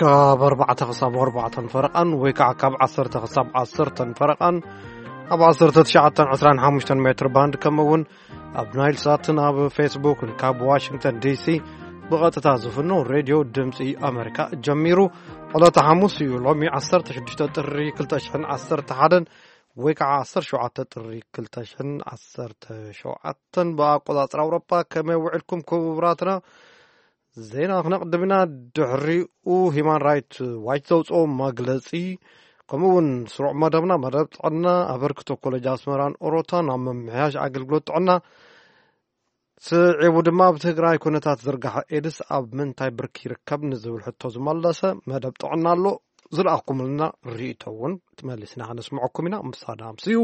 ካብ ኣርባዕተ ክሳብ ኣርባዕተን ፈረቓን ወይ ከዓ ካብ ዓሰርተ ክሳብ ዓሰርተን ፈረቓን ኣብ ዓሰርተ ትሽዓተን ዕስራን ሓሙሽተን ሜትር ባንድ፣ ከምኡ እውን ኣብ ናይል ሳትን ኣብ ፌስቡክን ካብ ዋሽንግተን ዲሲ ብቐጥታ ዝፍኖ ሬድዮ ድምፂ ኣሜሪካ ጀሚሩ። ዕለተ ሓሙስ እዩ፣ ሎሚ ዓሰርተ ሽዱሽተ ጥሪ ክልተ ሽሕን ዓሰርተ ሓደን ወይ ከዓ ዓሰርተ ሸውዓተ ጥሪ ክልተ ሽሕን ዓሰርተ ሸውዓተን ብኣቆፃፅራ ኣውሮፓ። ከመይ ውዕልኩም ክቡራትና? ዜና ክነቕድም ኢና። ድሕሪኡ ሂማን ራይት ዋች ዘውፅኦ መግለፂ፣ ከምኡ እውን ስሩዕ መደብና፣ መደብ ጥዕና፣ ኣበርክቶ ኮሌጅ ኣስመራን ኦሮታን ኣብ ምምሕያሽ ኣገልግሎት ጥዕና ስዒቡ ድማ ኣብ ትግራይ ኩነታት ዝርጋሐ ኤድስ ኣብ ምንታይ ብርኪ ይርከብ ንዝብል ሕቶ ዝመለሰ መደብ ጥዕና ኣሎ። ዝለኣኹምልና ርእይቶ እውን ትመሊስና ከነስምዐኩም ኢና። ምሳና ኣምስዩ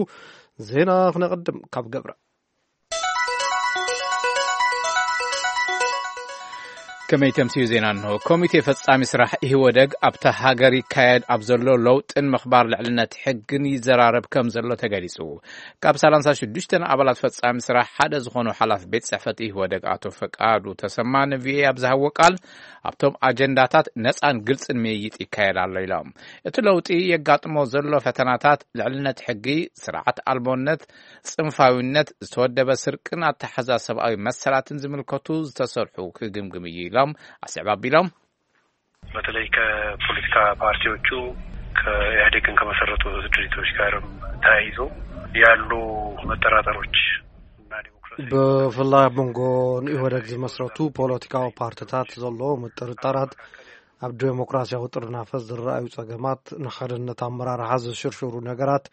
ዜና ክነቕድም ካብ ገብረ። ከመይ ተምስዩ ዜና እንሆ። ኮሚቴ ፈጻሚ ስራሕ ኢህወደግ ኣብታ ሃገር ይካየድ ኣብ ዘሎ ለውጥን ምኽባር ልዕልነት ሕግን ይዘራረብ ከም ዘሎ ተገሊጹ። ካብ ሰላሳ ሽዱሽተ ኣባላት ፈጻሚ ስራሕ ሓደ ዝኾኑ ሓላፊ ቤት ጽሕፈት ኢህወደግ ኣቶ ፈቃዱ ተሰማ ንቪኦኤ ኣብ ዝሃቦ ቃል፣ ኣብቶም ኣጀንዳታት ነጻን ግልጽን ምይይጥ ይካየድ ኣሎ ኢሎም። እቲ ለውጢ የጋጥሞ ዘሎ ፈተናታት፣ ልዕልነት ሕጊ፣ ስርዓት ኣልቦነት፣ ጽንፋዊነት፣ ዝተወደበ ስርቅን ኣተሓዛ ሰብኣዊ መሰላትን ዝምልከቱ ዝተሰርሑ ክግምግም እዩ ኢሎም። ኣስዕብ ኣቢሎም። በተለይ ከፖለቲካ ፓርቲዎቹ ከኢህአዴግን ከመሰረቱ ድርጅቶች ጋርም ተያይዞ ያሉ መጠራጠሮች እና ዲሞክራሲ ብፍላይ ኣብ መንጎ ንኢህወደግ ዝመስረቱ ፖለቲካዊ ፓርቲታት ዘሎ ምጥርጣራት፣ ኣብ ዴሞክራሲያዊ ጥርናፈ ዝረኣዩ ጸገማት፣ ንሓድነት ኣመራርሓ ዝሽርሽሩ ነገራት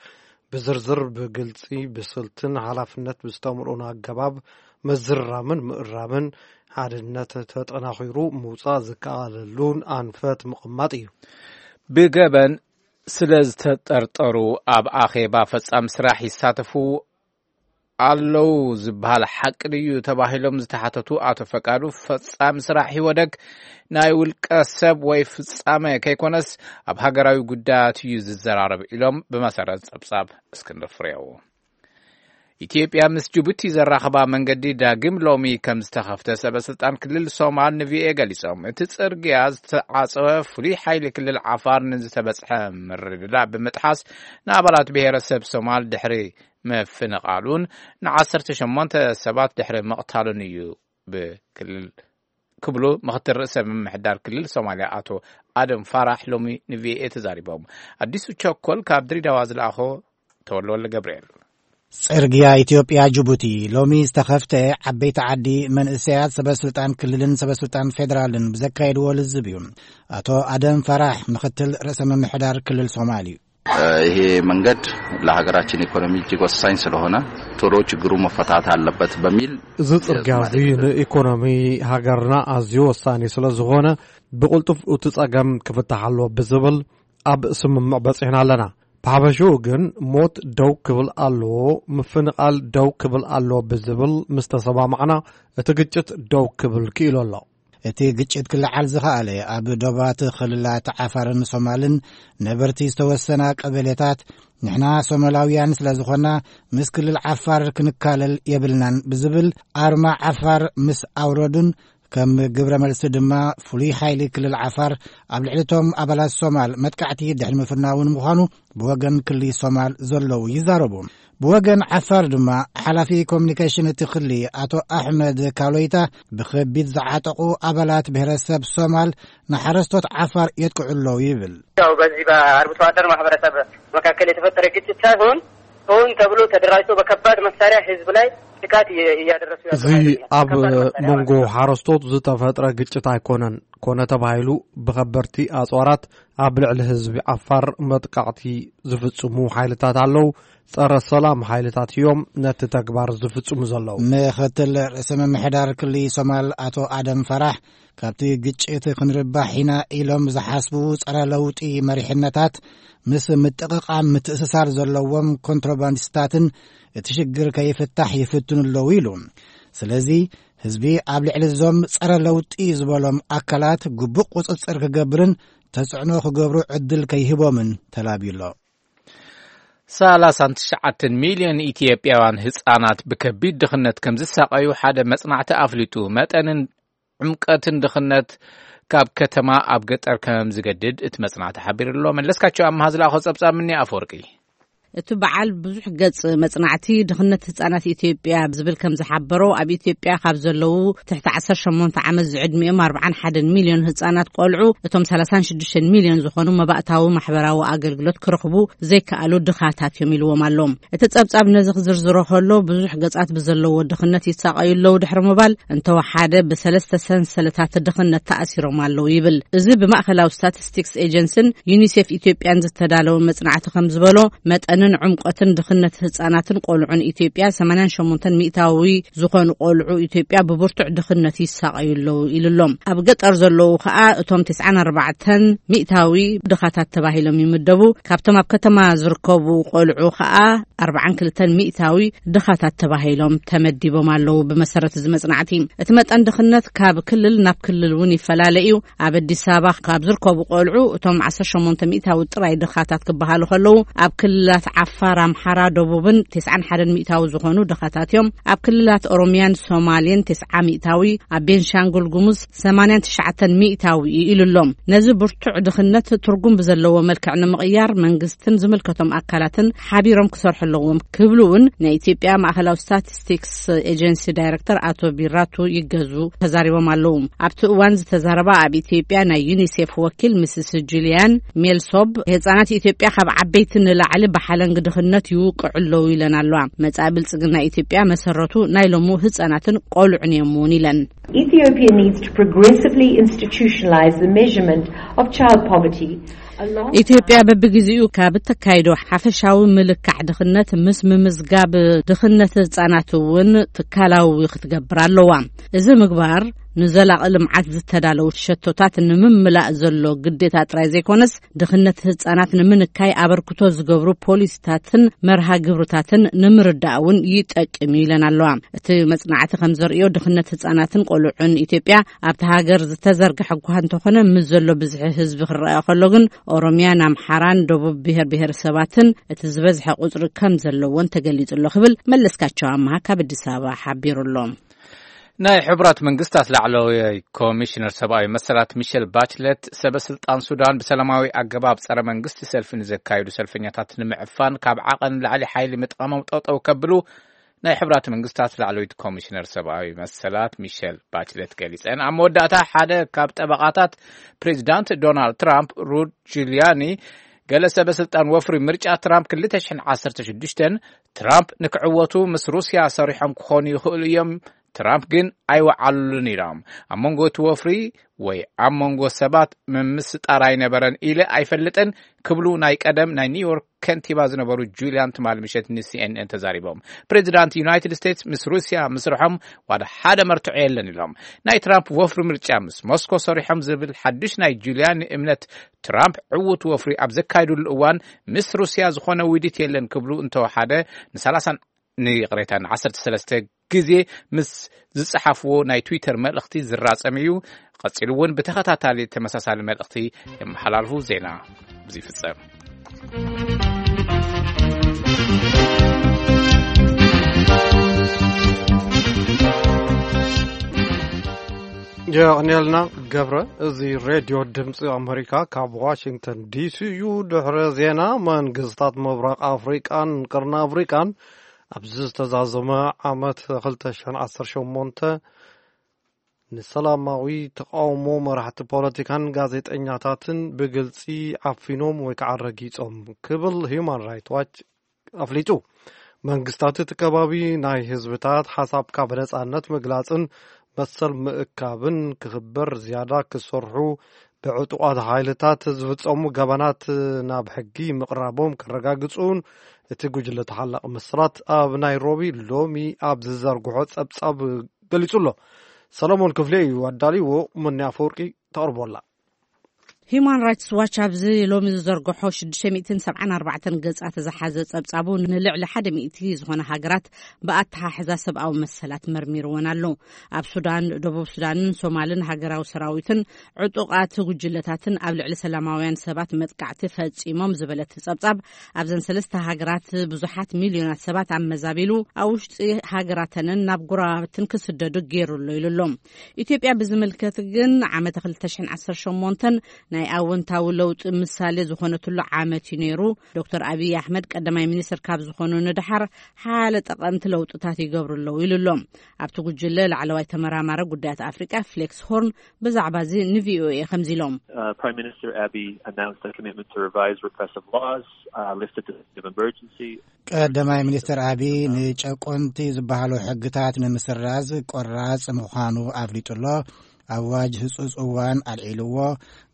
ብዝርዝር፣ ብግልጺ፣ ብስልትን ሓላፍነት ብዝተምልኡን ኣገባብ ምዝራምን ምእራምን፣ ሓድነት ተጠናኺሩ ምውጻእ ዝከኣለሉን ኣንፈት ምቕማጥ እዩ። ብገበን ስለ ዝተጠርጠሩ ኣብ ኣኼባ ፈጻሚ ስራሕ ይሳተፉ ኣለዉ ዝበሃል ሓቂ ድዩ ተባሂሎም ዝተሓተቱ ኣቶ ፈቃዱ፣ ፈጻሚ ስራሕ ኢህወደግ ናይ ውልቀ ሰብ ወይ ፍጻመ ከይኮነስ ኣብ ሃገራዊ ጉዳያት እዩ ዝዘራረብ ኢሎም። ብመሰረት ጸብጻብ እስክንድር ፍሬው። ኢትዮጵያ ምስ ጅቡቲ ዘራኽባ መንገዲ ዳግም ሎሚ ከም ዝተኸፍተ ሰበ ስልጣን ክልል ሶማል ንቪኦኤ ገሊጾም። እቲ ጽርግያ ዝተዓጸወ ፍሉይ ሓይሊ ክልል ዓፋር ንዝተበጽሐ ምርድዳእ ብምጥሓስ ንኣባላት ብሔረሰብ ሶማል ድሕሪ ምፍንቓሉን ንዓሰርተ ሸሞንተ ሰባት ድሕሪ ምቕታሉን እዩ ብክልል ክብሉ ምኽትል ርእሰ ምምሕዳር ክልል ሶማልያ ኣቶ ኣደም ፋራሕ ሎሚ ንቪኦኤ ተዛሪቦም። ኣዲሱ ቸኮል ካብ ድሬዳዋ ዝለኣኾ ተወልወልደ ገብርኤል። ጽርግያ ኢትዮጵያ ጅቡቲ ሎሚ ዝተኸፍተ፣ ዓበይቲ ዓዲ፣ መንእሰያት፣ ሰበ ስልጣን ክልልን ሰበ ስልጣን ፌደራልን ብዘካየድዎ ልዝብ እዩ። ኣቶ ኣደም ፋራሕ ምኽትል ርእሰ ምምሕዳር ክልል ሶማል እዩ። ይሄ መንገድ ለሀገራችን ኢኮኖሚ እጅግ ወሳኝ ስለሆነ ቶሎ ችግሩ መፈታት አለበት በሚል እዚ ጽርግያ እዚ ንኢኮኖሚ ሃገርና ኣዝዩ ወሳኒ ስለ ዝኾነ ብቕልጡፍ እቲ ጸገም ክፍታሕ ኣለዎ ብዝብል ኣብ ስምምዕ በጺሕና ኣለና። ብሓፈሽኡ ግን ሞት ደው ክብል ኣለዎ፣ ምፍንቓል ደው ክብል ኣለዎ ብዝብል ምስ ተሰማማዕና እቲ ግጭት ደው ክብል ክኢሉ ኣሎ። እቲ ግጭት ክለዓል ዝኸኣለ ኣብ ዶባት ክልላት ዓፋርን ሶማልን ነበርቲ ዝተወሰና ቀበሌታት፣ ንሕና ሶማላውያን ስለ ዝኾና ምስ ክልል ዓፋር ክንካለል የብልናን ብዝብል ኣርማ ዓፋር ምስ ኣውረዱን ከም ግብረ መልሲ ድማ ፍሉይ ሓይሊ ክልል ዓፋር ኣብ ልዕሊ እቶም ኣባላት ሶማል መጥቃዕቲ ድሕሪ ምፍናውን ምዃኑ ብወገን ክልል ሶማል ዘለዉ ይዛረቡ። ብወገን ዓፋር ድማ ሓላፊ ኮሚኒኬሽን እቲ ክሊ ኣቶ ኣሕመድ ካሎይታ ብኸቢድ ዝዓጠቑ ኣባላት ብሔረሰብ ሶማል ንሓረስቶት ዓፋር የጥቅዑ ኣለዉ ይብል። ያው በዚህ በአርብቶ አደር ማህበረሰብ መካከል የተፈጠረ ግጭት ሳይሆን ሆን ተብሎ ተደራጅቶ በከባድ መሳሪያ ህዝብ ላይ ጥቃት እየ- እያደረሱ ያሉ እዚ ኃይሎች ናቸው። ኣብ ከባድ መሳሪያ መንጎ ማለት ነው። ሓረስቶት ዝተፈጥረ ግጭት ኣይኮነን። ኮነ ተባሂሉ ብኸበርቲ ኣጽዋራት ኣብ ልዕሊ ህዝቢ ዓፋር መጥቃዕቲ ዝፍጽሙ ሓይልታት ኣለዉ። ጸረ ሰላም ሓይልታት እዮም ነቲ ተግባር ዝፍጽሙ ዘለዉ። ምኽትል ርእሰ ምምሕዳር ክልል ሶማል ኣቶ ኣደም ፈራሕ፣ ካብቲ ግጭት ክንርባሕ ኢና ኢሎም ዝሓስቡ ጸረ ለውጢ መሪሕነታት ምስ ምጥቕቓም ምትእስሳር ዘለዎም ኮንትሮባንዲስታትን እቲ ሽግር ከይፍታሕ ይፍትኑ ኣለዉ ኢሉ። ስለዚ ህዝቢ ኣብ ልዕሊ እዞም ጸረ ለውጢ ዝበሎም ኣካላት ግቡእ ቁጽጽር ክገብርን ተጽዕኖ ክገብሩ ዕድል ከይህቦምን ተላብዩ ኣሎ። ሰላሳን ትሽዓተን ሚልዮን ኢትዮጵያውያን ህጻናት ብከቢድ ድኽነት ከም ዝሳቐዩ ሓደ መጽናዕቲ ኣፍሊጡ። መጠንን ዕምቀትን ድኽነት ካብ ከተማ ኣብ ገጠር ከም ዝገድድ እቲ መጽናዕቲ ሓቢሩ ኣሎ። መለስካቸው ኣምሃ ዝለኣኾ ጸብጻብ ምኒ ኣፈወርቂ። እቲ በዓል ብዙሕ ገጽ መጽናዕቲ ድኽነት ህጻናት ኢትዮጵያ ብዝብል ከም ዝሓበሮ፣ ኣብ ኢትዮጵያ ካብ ዘለዉ ትሕቲ ዓሰርተ ሸሞንተ ዓመት ዝዕድሚኦም ኣርባዓን ሓደን ሚልዮን ህጻናት ቆልዑ፣ እቶም ሰላሳን ሽዱሽተን ሚልዮን ዝኾኑ መባእታዊ ማሕበራዊ ኣገልግሎት ክረኽቡ ዘይከኣሉ ድኻታት እዮም ኢልዎም ኣሎ። እቲ ጸብጻብ ነዚ ክዝርዝሮ ከሎ፣ ብዙሕ ገጻት ብዘለዎ ድኽነት ይሳቐዩ ኣለዉ ድሕሪ ምባል፣ እንተወሓደ ብሰለስተ ሰንሰለታት ድኽነት ተኣሲሮም ኣለዉ ይብል። እዚ ብማእከላዊ ስታቲስቲክስ ኤጀንስን ዩኒሴፍ ኢትዮጵያን ዝተዳለወ መጽናዕቲ ከም ዝበሎ፣ መጠንን ዕምቆትን ድኽነት ህጻናትን ቆልዑን ኢትዮጵያ ሰማንያን ሸሞንተን ሚእታዊ ዝኾኑ ቆልዑ ኢትዮጵያ ብብርቱዕ ድኽነት ይሳቐዩ ኣለዉ ኢሉ ኣሎ። ኣብ ገጠር ዘለዉ ከኣ እቶም ተስዓን ኣርባዕተን ሚእታዊ ድኻታት ተባሂሎም ይምደቡ። ካብቶም ኣብ ከተማ ዝርከቡ ቆልዑ ከኣ ኣርባዓን ክልተን ሚእታዊ ድኻታት ተባሂሎም ተመዲቦም ኣለዉ። ብመሰረት እዚ መጽናዕቲ፣ እቲ መጠን ድኽነት ካብ ክልል ናብ ክልል እውን ይፈላለ እዩ። ኣብ ኣዲስ ኣበባ ካብ ዝርከቡ ቆልዑ እቶም ዓሰርተ ሸሞንተ ሚእታዊ ጥራይ ድኻታት ክበሃሉ ከለዉ፣ ኣብ ክልላት ዓፋር፣ ኣምሓራ፣ ደቡብን ተስዓን ሓደን ሚእታዊ ዝኾኑ ድኻታት እዮም። ኣብ ክልላት ኦሮሚያን ሶማሌን ተስዓ ሚእታዊ፣ ኣብ ቤንሻንጉል ጉሙዝ ሰማንያን ትሽዓተን ሚእታዊ እዩ ኢሉ ኣሎ። ነዚ ብርቱዕ ድኽነት ትርጉም ብዘለዎ መልክዕ ንምቕያር፣ መንግስትን ዝምልከቶም ኣካላትን ሓቢሮም ክሰርሑ ኣለዎም ክብሉ እውን ናይ ኢትዮጵያ ማእከላዊ ስታቲስቲክስ ኤጀንሲ ዳይሬክተር ኣቶ ቢራቱ ይገዙ ተዛሪቦም ኣለዉ። ኣብቲ እዋን ዝተዛረባ ኣብ ኢትዮጵያ ናይ ዩኒሴፍ ወኪል ምስስ ጁሊያን ሜልሶብ፣ ህጻናት ኢትዮጵያ ካብ ዓበይቲ ንላዕሊ ብሓለንጊ ድኽነት ይውቅዑ ኣለዉ ኢለን ኣለዋ። መጻኢ ብልጽግና ኢትዮጵያ መሰረቱ ናይ ሎሙ ህጻናትን ቆልዑን እዮም እውን ኢለን። Ethiopia needs to progressively institutionalize the measurement of child poverty along ኢትዮጵያ በብግዜኡ ካብ እተካይዶ ሓፈሻዊ ምልካዕ ድኽነት ምስ ምምዝጋብ ድኽነት ህጻናት እውን ትካላዊ ክትገብር ኣለዋ። እዚ ምግባር ንዘላቒ ልምዓት ዝተዳለዉ ሸቶታት ንምምላእ ዘሎ ግዴታ ጥራይ ዘይኮነስ፣ ድኽነት ህጻናት ንምንካይ ኣበርክቶ ዝገብሩ ፖሊሲታትን መርሃ ግብርታትን ንምርዳእ እውን ይጠቅም እዩ ኢለን ኣለዋ። እቲ መጽናዕቲ ከም ዘርእዮ፣ ድኽነት ህጻናትን ቆልዑን ኢትዮጵያ ኣብቲ ሃገር ዝተዘርግሐ እኳ እንተኾነ፣ ምስ ዘሎ ብዝሒ ህዝቢ ክረኣ ከሎ ግን፣ ኦሮሚያን ኣምሓራን ደቡብ ብሄር ብሄረሰባትን እቲ ዝበዝሐ ቁጽሪ ከም ዘለዎን ተገሊጹ ኣሎ ክብል መለስካቸው ኣምሃ ካብ ኣዲስ ኣበባ ሓቢሩ ኣሎ። ናይ ሕቡራት መንግስታት ላዕለዋይ ኮሚሽነር ሰብኣዊ መሰላት ሚሸል ባችለት፣ ሰበ ስልጣን ሱዳን ብሰላማዊ ኣገባብ ጸረ መንግስቲ ሰልፊ ንዘካየዱ ሰልፈኛታት ንምዕፋን ካብ ዓቐን ላዕሊ ሓይሊ ምጥቃሞም ጠጠው ከብሉ ናይ ሕቡራት መንግስታት ላዕለዊት ኮሚሽነር ሰብኣዊ መሰላት ሚሸል ባችለት ገሊጸን። ኣብ መወዳእታ ሓደ ካብ ጠበቓታት ፕሬዚዳንት ዶናልድ ትራምፕ፣ ሩድ ጁሊያኒ፣ ገለ ሰበ ስልጣን ወፍሪ ምርጫ ትራምፕ ክልተ ሽሕን ዓሰርተ ሽዱሽተን፣ ትራምፕ ንክዕወቱ ምስ ሩስያ ሰሪሖም ክኾኑ ይኽእሉ እዮም፣ ትራምፕ ግን ኣይወዓሉሉን ኢሎም። ኣብ መንጎ እቲ ወፍሪ ወይ ኣብ መንጎ ሰባት ምምስጣር ኣይነበረን ኢለ ኣይፈልጥን ክብሉ ናይ ቀደም ናይ ኒውዮርክ ከንቲባ ዝነበሩ ጁሊያን ትማሊ ምሸት ን ሲ ኤን ኤን ተዛሪቦም። ፕሬዚዳንት ዩናይትድ ስቴትስ ምስ ሩስያ ምስርሖም ዋላ ሓደ መርትዖ የለን ኢሎም። ናይ ትራምፕ ወፍሪ ምርጫ ምስ ሞስኮ ሰሪሖም ዝብል ሓድሽ ናይ ጁሊያን እምነት፣ ትራምፕ ዕዉት ወፍሪ ኣብ ዘካየዱሉ እዋን ምስ ሩስያ ዝኾነ ውዲት የለን ክብሉ እንተወሓደ ንሰላሳን ንይቕሬታ ንዓሰርተ ሰለስተ ግዜ ምስ ዝጸሓፍዎ ናይ ትዊተር መልእኽቲ ዝራጸም እዩ። ቀጺሉ እውን ብተኸታታሊ ተመሳሳሊ መልእኽቲ የመሓላልፉ። ዜና እዚ ይፍጸም። የቕንየልና ገብረ። እዚ ሬድዮ ድምፂ ኣመሪካ ካብ ዋሽንግተን ዲሲ እዩ። ድሕሪ ዜና፣ መንግስታት ምብራቕ ኣፍሪቃን ቅርኒ ኣፍሪቃን ኣብዚ ዝተዛዘመ ዓመት ክልተ ሽሕን ዓሰርተ ሸሞንተ ንሰላማዊ ተቃውሞ መራሕቲ ፖለቲካን ጋዜጠኛታትን ብግልፂ ዓፊኖም ወይ ከዓ ረጊፆም ክብል ሂዩማን ራይት ዋች ኣፍሊጡ። መንግስታት እቲ ከባቢ ናይ ህዝብታት ሓሳብካ ብነፃነት ምግላፅን መሰል ምእካብን ክኽበር ዝያዳ ክሰርሑ፣ ብዕጡቓት ሓይልታት ዝፍፀሙ ገበናት ናብ ሕጊ ምቕራቦም ከረጋግፁን እቲ ጉጅለ ተሓላቒ መሰላት ኣብ ናይሮቢ ሎሚ ኣብ ዝዘርግሖ ጸብጻብ ገሊጹ ኣሎ። ሰለሞን ክፍሌ እዩ ኣዳልይዎ፣ ሙኒ ኣፈወርቂ ተቕርቦ ኣላ። ሂዩማን ራይትስ ዋች ኣብዚ ሎሚ ዝዘርግሖ ሽዱሽተ ሚእትን ሰብዓን ኣርባዕተን ገጻት ዝሓዘ ጸብጻቡ፣ ንልዕሊ ሓደ ሚእቲ ዝኾነ ሃገራት ብኣተሓሕዛ ሰብኣዊ መሰላት መርሚርወን ኣሎ። ኣብ ሱዳን፣ ደቡብ ሱዳንን ሶማልን ሃገራዊ ሰራዊትን ዕጡቓት ጉጅለታትን ኣብ ልዕሊ ሰላማውያን ሰባት መጥቃዕቲ ፈጺሞም ዝበለት ጸብጻብ፣ ኣብዘን ሰለስተ ሃገራት ብዙሓት ሚልዮናት ሰባት ኣመዛቢሉ፣ ኣብ ውሽጢ ሃገራተንን ናብ ጎረባብትን ክስደዱ ገይሩ ኣሎ ኢሉ ኣሎ። ኢትዮጵያ ብዝምልከት ግን፣ ዓመተ ክልተ ሽሕን ዓሰርተ ሸሞንተን ናይ ኣወንታዊ ለውጢ ምሳሌ ዝኾነትሉ ዓመት እዩ ነይሩ። ዶክተር ኣብይ ኣሕመድ ቀዳማይ ሚኒስትር ካብ ዝኾኑ ንድሓር፣ ሓያለ ጠቐምቲ ለውጥታት ይገብሩ ኣለዉ ኢሉ ኣሎ። ኣብቲ ጉጅለ ላዕለዋይ ተመራማሪ ጉዳያት ኣፍሪቃ ፍሌክስ ሆርን ብዛዕባ እዚ ንቪኦኤ ከምዚ ኢሎም። Uh, Prime Minister Abiy announced a commitment to revise repressive laws, uh, lift the state of emergency. ቀዳማይ ሚኒስትር ኣቢይ ንጨቆንቲ ዝበሃሉ ሕግታት ንምስራዝ ቆራጽ ምዃኑ ኣፍሊጡ ኣሎ። ኣዋጅ ህጹጽ እዋን ኣልዒልዎ።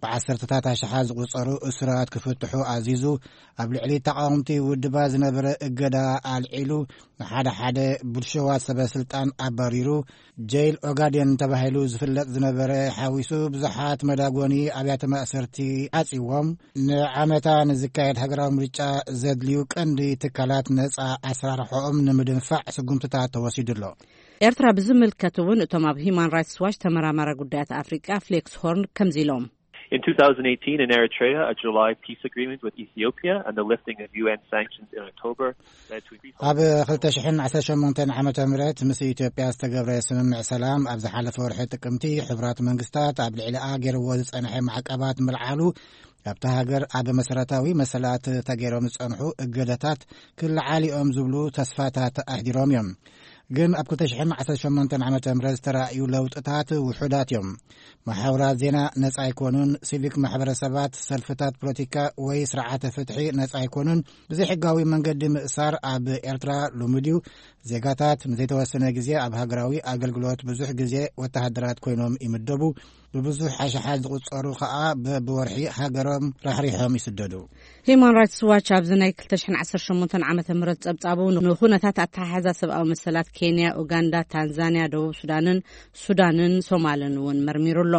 ብዓሰርተታት ኣሽሓት ዝቑጸሩ እሱራት ክፍትሑ ኣዚዙ። ኣብ ልዕሊ ተቓወምቲ ውድባት ዝነበረ እገዳ ኣልዒሉ። ንሓደ ሓደ ብልሽዋት ሰበ ስልጣን ኣባሪሩ። ጀይል ኦጋዴን ተባሂሉ ዝፍለጥ ዝነበረ ሓዊሱ ብዙሓት መዳጎኒ ኣብያተ ማእሰርቲ ዓጽዎም። ንዓመታ ንዝካየድ ሃገራዊ ምርጫ ዘድልዩ ቀንዲ ትካላት ነጻ ኣሰራርሖኦም ንምድንፋዕ ስጉምትታት ተወሲዱ ኣሎ። ኤርትራ ብዝምልከት እውን እቶም ኣብ ሂዩማን ራይትስ ዋች ተመራማሪ ጉዳያት ኣፍሪቃ ፍሌክስ ሆርን ከምዚ ኢሎም። In two thousand eighteen, in Eritrea, a July peace agreement with Ethiopia and the lifting of U N sanctions in October led to increased ኣብ ክልተ ሽሕን ዓሰርተ ሸሞንተን ዓመተ ምህረት ምስ ኢትዮጵያ ዝተገብረ ስምምዕ ሰላም፣ ኣብ ዝሓለፈ ወርሒ ጥቅምቲ፣ ሕቡራት መንግስታት ኣብ ልዕሊኣ ገይርዎ ዝጸንሐ ማዕቀባት ምልዓሉ፣ ኣብታ ሃገር ኣብ መሰረታዊ መሰላት ተገይሮም ዝጸንሑ እገደታት ክልዓሉ እዮም ዝብሉ ተስፋታት ኣሕዲሮም እዮም። ግን ኣብ ክልተ ሽሕን ዓሰርተ ሸሞንተን ዓመተ ምህረት ዝተራእዩ ለውጥታት ውሑዳት እዮም። መሓውራት ዜና ነጻ ኣይኮኑን። ሲቪክ ማሕበረሰባት፣ ሰልፍታት ፖለቲካ ወይ ስርዓተ ፍትሒ ነጻ ኣይኮኑን። ብዘይሕጋዊ መንገዲ ምእሳር ኣብ ኤርትራ ልሙድ እዩ። ዜጋታት ንዘይተወሰነ ግዜ ኣብ ሃገራዊ ኣገልግሎት፣ ብዙሕ ግዜ ወተሃደራት ኮይኖም ይምደቡ። ብብዙሕ ኣሽሓት ዝቑጸሩ ከኣ በብወርሒ ሃገሮም ራሕሪሖም ይስደዱ። ሂዩማን ራይትስ ዋች ኣብዚ ናይ ክልተ ሽሕን ዓሰርተ ሸሞንተን ዓመተ ምህረት ጸብጻቡ ንኹነታት ኣተሓሕዛ ሰብኣዊ መሰላት ኬንያ፣ ኡጋንዳ፣ ታንዛንያ፣ ደቡብ ሱዳንን ሱዳንን ሶማልን እውን መርሚሩ ኣሎ።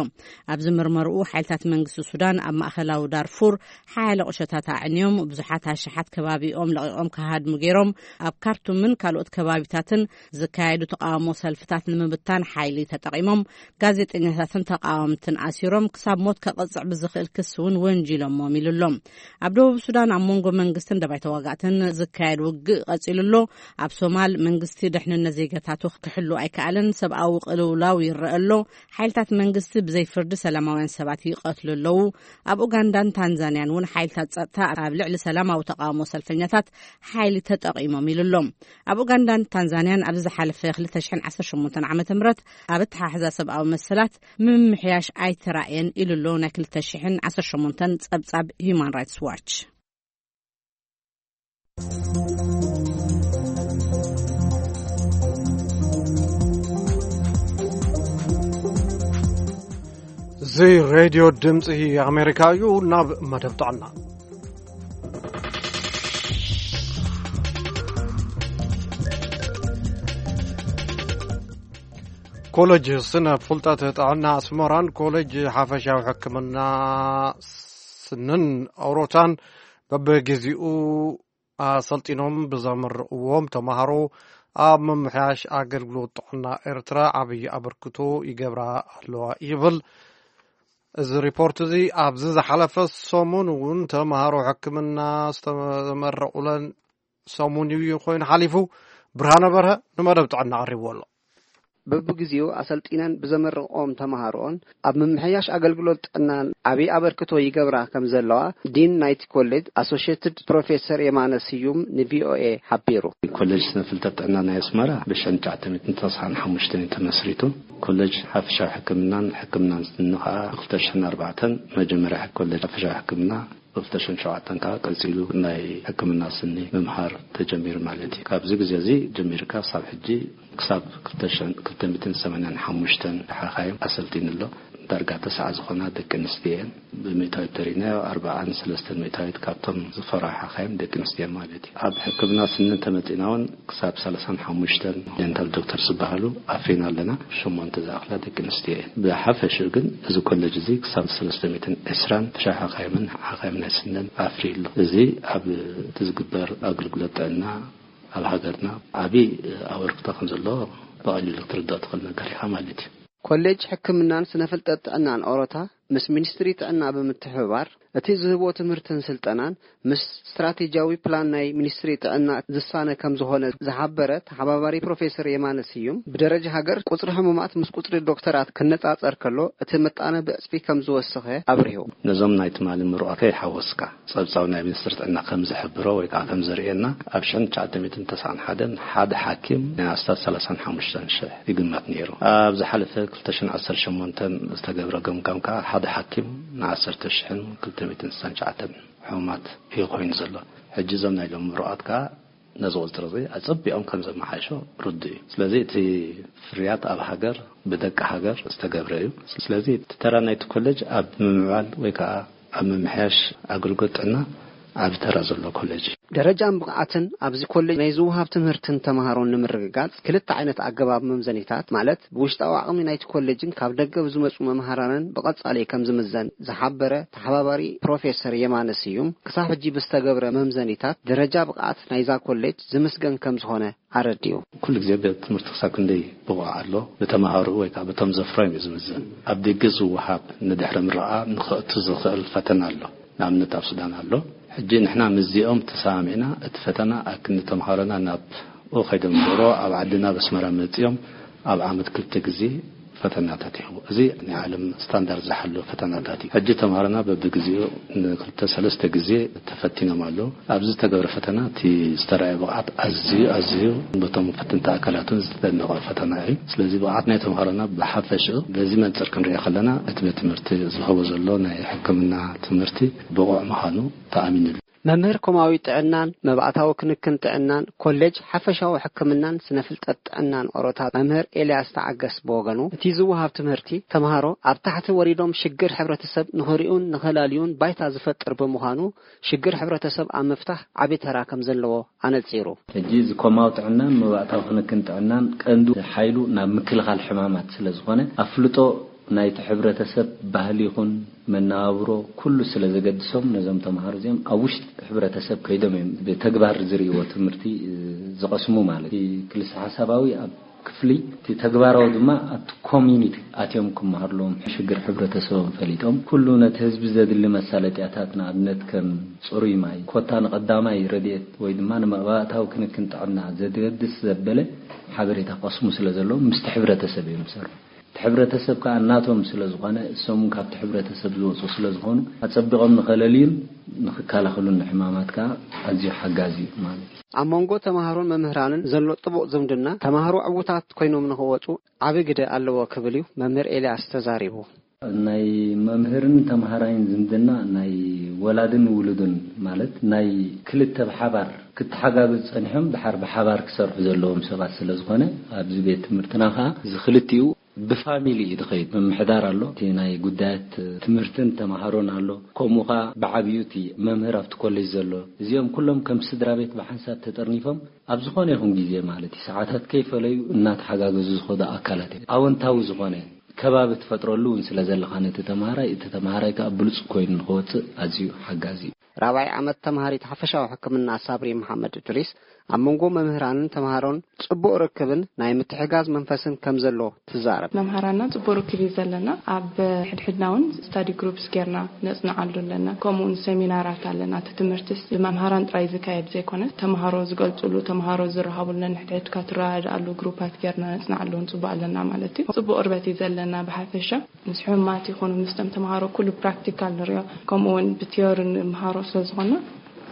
ኣብዚ ምርመርኡ፣ ሓይልታት መንግስቲ ሱዳን ኣብ ማእከላዊ ዳርፉር ሓያለ ቁሸታት ኣዕንዮም፣ ብዙሓት ኣሽሓት ከባቢኦም ለቒቖም ክሃድሙ ገይሮም፣ ኣብ ካርቱምን ካልኦት ከባቢታትን ዝካየዱ ተቃውሞ ሰልፍታት ንምብታን ሓይሊ ተጠቒሞም፣ ጋዜጠኛታትን ተቃወምትን ኣሲሮም፣ ክሳብ ሞት ከቐጽዕ ብዝኽእል ክሲ እውን ወንጂሎሞም ኢሉ ኣሎ። ኣብ ደቡብ ሱዳን ኣብ መንጎ መንግስትን ደባይ ተዋጋእትን ዝካየድ ውግእ ቀጺሉ ኣሎ። ኣብ ሶማል መንግስቲ ድሕንነት ዜጋታቱ ክሕሉ ኣይከኣለን። ሰብኣዊ ቅልውላው ይረአ ኣሎ። ሓይልታት መንግስቲ ብዘይ ፍርዲ ሰላማውያን ሰባት ይቐትሉ ኣለዉ። ኣብ ኡጋንዳን ታንዛንያን እውን ሓይልታት ጸጥታ ኣብ ልዕሊ ሰላማዊ ተቃውሞ ሰልፈኛታት ሓይሊ ተጠቒሞም ኢሉ ኣሎ። ኣብ ኡጋንዳን ታንዛንያን ኣብዚ ዝሓለፈ ክልተ ሽሕን ዓሰርተ ሸሞንተን ዓመተ ምህረት ኣብ ኣተሓሕዛ ሰብኣዊ መሰላት ምምሕያሽ ኣይተራእየን ኢሉ ኣሎ ናይ ክልተ ሽሕን ዓሰርተ ሸሞንተን ጸብጻብ ሂዩማን ራይትስ ዋች። እዚ ሬድዮ ድምፂ ኣሜሪካ እዩ። ናብ መደብ ጥዕና። ኮሌጅ ስነ ፍልጠት ጥዕና ኣስመራን ኮሌጅ ሓፈሻዊ ሕክምና ስንን ኣውሮታን በብግዚኡ ኣሰልጢኖም ብዘመረቕዎም ተምሃሮ ኣብ ምምሕያሽ ኣገልግሎት ጥዕና ኤርትራ ዓብዪ ኣበርክቶ ይገብራ ኣለዋ ይብል። እዚ ሪፖርት እዚ ኣብዚ ዝሓለፈ ሰሙን እውን ተምሃሮ ሕክምና ዝተመረቑለን ሰሙን እዩ ኮይኑ ሓሊፉ። ብርሃነ በርሀ ንመደብ ጥዕና ኣቕሪብዎ ኣሎ። በብግዜኡ ኣሰልጢነን ብዘመረቕኦም ተምሃሮኦን ኣብ ምምሕያሽ ኣገልግሎት ጥዕናን ዓብዪ ኣበርክቶ ይገብራ ከም ዘለዋ ዲን ናይቲ ኮሌጅ ኣሶሽየትድ ፕሮፌሰር የማነ ስዩም ንቪኦኤ ሓቢሩ። ኮሌጅ ስነ ፍልጠት ጥዕና ናይ ኣስመራ ብሽሕን ትሽዓተ ሚእትን ተስዓን ሓሙሽተን እዩ ተመስሪቱ። ኮሌጅ ሓፈሻዊ ሕክምናን ሕክምናን ስኒ ከዓ ክልተ ሽሕን ኣርባዕተን መጀመርያ ኮሌጅ ሓፈሻዊ ሕክምና፣ ክልተ ሽሕን ሸውዓተን ከዓ ቀፂሉ ናይ ሕክምና ስኒ ምምሃር ተጀሚሩ ማለት እዩ። ካብዚ ግዜ እዚ ጀሚርካ ክሳብ ሕጂ፣ ክሳብ ክልተ ሽሕን ክልተ ሚእትን ሰማንያን ሓሙሽተን ሓኻይም ኣሰልጢኑ ኣሎ። ዳርጋ ተስዓ ዝኾና ደቂ ኣንስትዮ እየን። ብሚእታዊት ተሪናዮ ኣርባዓን ሰለስተን ሚእታዊት ካብቶም ዝፈርሑ ሓኻይም ደቂ ኣንስትዮ ማለት እዩ። ኣብ ሕክምና ስኒ እንተመጺና እውን ክሳብ ሰላሳን ሓሙሽተን ዴንታል ዶክተር ዝበሃሉ ኣፍሪና ኣለና። ሸሞንተ ዝኣኽላ ደቂ ኣንስትዮ እየን። ብሓፈሽኡ ግን እዚ ኮሌጅ እዚ ክሳብ ሰለስተ ሚእትን ዕስራን ሓፈሻዊ ሓኻይምን ሓኻይም ናይ ስንን ኣፍርዩ ኣሎ። እዚ ኣብ እቲ ዝግበር ኣገልግሎት ጥዕና ኣብ ሃገርና ዓቢ ኣበርክቶ ከም ዘለዎ ብቐሊሉ ክትርዳእ ትኽእል ነገር ኢኻ ማለት እዩ። ኮሌጅ ሕክምናን ስነ ፍልጠት ጥዕናን ኦሮታ ምስ ሚኒስትሪ ጥዕና ብምትሕብባር እቲ ዝህቦ ትምህርትን ስልጠናን ምስ ስትራቴጂያዊ ፕላን ናይ ሚኒስትሪ ጥዕና ዝሳነ ከም ዝኾነ ዝሓበረ ተሓባባሪ ፕሮፌሰር የማነ ስዩም፣ ብደረጃ ሃገር ቁጽሪ ሕሙማት ምስ ቁጽሪ ዶክተራት ክነጻጸር ከሎ እቲ ምጣነ ብዕጽፊ ከም ዝወሰኸ ኣብሪሁ። ነዞም ናይ ትማሊ ምሩቓተይ ሓወስካ፣ ጸብጻብ ናይ ሚኒስትሪ ጥዕና ከም ዝሕብሮ ወይ ከዓ ከም ዘርእየና፣ ኣብ ሽሕን ትሽዓተ ሚእትን ተስዓን ሓደን ሓደ ሓኪም ናይ ኣስታት ሰላሳን ሓሙሽተን ሽሕ ይግመት ነይሩ። ኣብ ዝሓለፈ ክልተ ሽሕን ዓሰርተ ሸሞንተን ዝተገብረ ገምጋም ከዓ ሓደ ሓኪም ንዓሰርተ ሽሕን ክልተ ሚእትን ስሳን ትሽዓተን ሕሙማት እዩ ኮይኑ ዘሎ። ሕጂ እዞም ናይ ሎሚ ምሩቓት ከዓ ነዚ ቁጽሪ እዚ ኣጸቢቖም ከም ዘመሓይሾ ርዱእ እዩ። ስለዚ እቲ ፍርያት ኣብ ሃገር ብደቂ ሃገር ዝተገብረ እዩ። ስለዚ እቲ ተራ ናይቲ ኮሌጅ ኣብ ምምዕባል ወይ ከዓ ኣብ ምምሕያሽ ኣገልግሎት ጥዕና ዓቢ ተራ ዘለዎ ኮሌጅ እዩ። ደረጃን ብቕዓትን ኣብዚ ኮሌጅ ናይ ዝወሃብ ትምህርትን ተምሃሮን ንምርግጋጽ ክልተ ዓይነት ኣገባብ መምዘኒታት፣ ማለት ብውሽጣዊ ዓቕሚ ናይቲ ኮሌጅን ካብ ደገ ብዝመጹ መምሃራንን ብቐጻሊ ከም ዝምዘን ዝሓበረ ተሓባባሪ ፕሮፌሰር የማነ ስዩም፣ ክሳብ ሕጂ ብዝተገብረ መምዘኒታት ደረጃ ብቕዓት ናይዛ ኮሌጅ ዝምስገን ከም ዝኾነ ኣረዲኡ። ኩሉ ግዜ ቤት ትምህርቲ ክሳብ ክንደይ ብቑዕ ኣሎ፣ ብተምሃሮኡ ወይ ከዓ በቶም ዘፍረዮም እዩ ዝምዘን። ኣብ ደገ ዝወሃብ ንድሕሪ ምረቓ ንኸእቱ ዝኽእል ፈተና ኣሎ። ንኣብነት ኣብ ሱዳን ኣሎ። ሕጂ ንሕና ምስዚኦም ተሰማሚዕና እቲ ፈተና ኣብ ክንዲ ተምሃሮና ናብኡ ከይዶም ዶሮ ኣብ ዓድና ኣብ ኣስመራ መጺኦም ኣብ ዓመት ክልተ ግዜ ፈተናታት ይህቡ። እዚ ናይ ዓለም ስታንዳርድ ዝሓለወ ፈተናታት እዩ። ሕጂ ተምሃሮና በብግዜኡ ንክልተ ሰለስተ ግዜ ተፈቲኖም ኣለዉ። ኣብዚ ዝተገብረ ፈተና እቲ ዝተረኣየ ብቕዓት ኣዝዩ፣ ኣዝዩ በቶም ፈተንቲ ኣካላት እውን ዝተደነቐ ፈተና እዩ። ስለዚ ብቕዓት ናይ ተምሃሮና ብሓፈሽኡ በዚ መንጽር ክንሪኦ ከለና እቲ ቤት ትምህርቲ ዝህቦ ዘሎ ናይ ሕክምና ትምህርቲ ብቑዕ ምዃኑ ተኣሚንሉ። መምህር ኮማዊ ጥዕናን መባእታዊ ክንክን ጥዕናን ኮሌጅ ሓፈሻዊ ሕክምናን ስነ ፍልጠት ጥዕናን ኦሮታ መምህር ኤልያስ ተዓገስ ብወገኑ፣ እቲ ዝወሃብ ትምህርቲ ተምሃሮ ኣብ ታሕቲ ወሪዶም ሽግር ሕብረተሰብ ንኽሪኡን ንኸላልዩን ባይታ ዝፈጥር ብምዃኑ፣ ሽግር ሕብረተሰብ ኣብ ምፍታሕ ዓቢ ተራ ከም ዘለዎ ኣነጺሩ። ሕጂ እዚ ኮማዊ ጥዕናን መባእታዊ ክንክን ጥዕናን ቀንዱ ሓይሉ ናብ ምክልኻል ሕማማት ስለ ዝኾነ፣ ኣፍልጦ ናይቲ ሕብረተሰብ ባህሊ ይኹን መነባብሮ ኩሉ ስለ ዘገድሶም፣ ነዞም ተምሃሮ እዚኦም ኣብ ውሽጢ ሕብረተሰብ ከይዶም እዮም ብተግባር ዝርእይዎ ትምህርቲ፣ እ፣ ዝቐስሙ ማለት እዩ። እቲ ክልሰ ሓሳባዊ ኣብ ክፍሊ፣ እቲ ተግባራዊ ድማ ኣብቲ ኮሚኒቲ ኣትዮም ክመሃሩ ኣለዎም። ሽግር ሕብረተሰቦም ፈሊጦም ኩሉ ነቲ ህዝቢ ዘድሊ መሳለጥያታት፣ ንኣብነት ከም ጽሩይ ማይ፣ ኮታ ንቐዳማይ ረድኤት ወይ ድማ ንመባእታዊ ክንክን ጥዕና ዘገድስ ዘበለ ሓበሬታ ክቐስሙ ስለ ዘለዎም ምስቲ ሕብረተሰብ እዮም ዝሰርሑ። እቲ ሕብረተሰብ ከዓ እናቶም ስለ ዝኾነ፣ እሶም እውን ካብቲ ሕብረተሰብ ዝወፁ ስለ ዝኾኑ፣ ኣጸቢቖም ንኸለልዩን ንኽከላኸሉን ንሕማማት ከዓ ኣዝዩ ሓጋዚ እዩ ማለት እዩ። ኣብ መንጎ ተምሃሮን መምህራንን ዘሎ ጥቡቕ ዝምድና፣ ተምሃሮ ዕዉታት ኮይኖም ንኽወፁ ዓቢ ግደ ኣለዎ ክብል እዩ መምህር ኤልያስ ተዛሪቡ። ናይ መምህርን ተምሃራይን ዝምድና ናይ ወላድን ውሉድን፣ ማለት ናይ ክልተ ብሓባር ክተሓጋገዙ ጸኒሖም ድሓር ብሓባር ክሰርሑ ዘለዎም ሰባት ስለ ዝኾነ፣ ኣብዚ ቤት ትምህርትና ኸኣ እዚ ክልቲኡ ብፋሚሊ እዩ ዝኸይድ። ምምሕዳር ኣሎ፣ እቲ ናይ ጉዳያት ትምህርትን ተምሃሮን ኣሎ፣ ከምኡ ኸኣ ብዓብዩ እቲ መምህር ኣብቲ ኮሌጅ ዘሎ። እዚኦም ኩሎም ከም ስድራ ቤት ብሓንሳብ ተጠርኒፎም ኣብ ዝኾነ ይኹን ግዜ ማለት እዩ፣ ሰዓታት ከይፈለዩ እናተሓጋገዙ ዝኸዱ ኣካላት እዮም። ኣወንታዊ ዝኾነ ከባቢ ትፈጥረሉ እውን ስለ ዘለኻ ነቲ ተምሃራይ፣ እቲ ተምሃራይ ከኣ ብሉጽ ኮይኑ ንኽወጽእ ኣዝዩ ሓጋዚ እዩ። ራብዓይ ዓመት ተምሃሪት ሓፈሻዊ ሕክምና ሳብሪ መሓመድ እድሪስ፣ ኣብ መንጎ መምህራንን ተምሃሮን ጽቡቕ ርክብን ናይ ምትሕጋዝ መንፈስን ከም ዘሎ ትዛረብ። መምሃራንና ጽቡቕ ርክብ እዩ ዘለና። ኣብ ሕድሕድና እውን ስታዲ ግሩፕስ ጌርና ነጽንዓሉ ኣለና። ከምኡ እውን ሰሚናራት ኣለና። እቲ ትምህርትስ ብመምሃራን ጥራይ ዝካየድ ዘይኮነ፣ ተምሃሮ ዝገልጹሉ፣ ተምሃሮ ዝረሃቡሉ፣ ነንሕድሕድካ ትረዳድኣሉ ግሩፓት ጌርና ነጽንዓሉ እውን ጽቡቕ ኣለና ማለት እዩ። ጽቡቕ ቅርበት እዩ ዘለና ብሓፈሻ። ምስ ሕሙማት ይኹኑ ምስቶም ተምሃሮ ኩሉ ፕራክቲካል ንሪኦ፣ ከምኡ እውን ብቲዮሪ ንምሃሮ ስለ ዝኾንና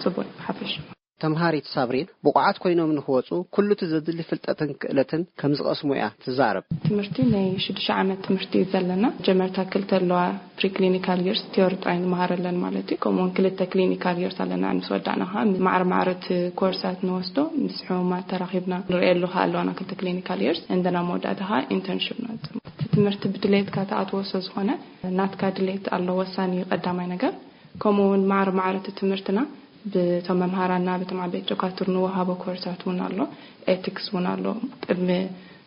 ጽቡቕ እዩ ብሓፈሻ። ተምሃሪት ሳብሪን ብቑዓት ኮይኖም ንኽወጹ ኩሉ እቲ ዘድሊ ፍልጠትን ክእለትን ከም ዝቐስሙ እያ ትዛረብ። ትምህርቲ ናይ ሽዱሽተ ዓመት ትምህርቲ እዩ ዘለና። መጀመርታ ክልተ ኣለዋ፣ ፕሪክሊኒካል ይርስ ቲዮሪ ጥራይ ንመሃረለን ማለት እዩ። ከምኡውን ክልተ ክሊኒካል ይርስ ኣለና። ምስ ወዳእና ኸዓ ማዕረ ማዕረ እቲ ኮርሳት ንወስዶ፣ ምስ ሕሙማት ተራኺብና ንርእየሉ ኸዓ ኣለዋና ክልተ ክሊኒካል ይርስ፣ እንደና መወዳእታ ኸዓ ኢንተርንሽፕ ንወጽእ። ትምህርቲ ብድሌትካ ትኣትዎ ስለ ዝኾነ ናትካ ድሌት ኣሎ፣ ወሳኒ እዩ ቀዳማይ ነገር። ከምኡ እውን ማዕረ ማዕረ እቲ ትምህርትና ብቶም መምሃራና፣ ብቶም ዓበይቲ ዶካትር ንወሃቦ ኮርሳት እውን ኣሎ፣ ኤቲክስ እውን ኣሎ። ቅድሚ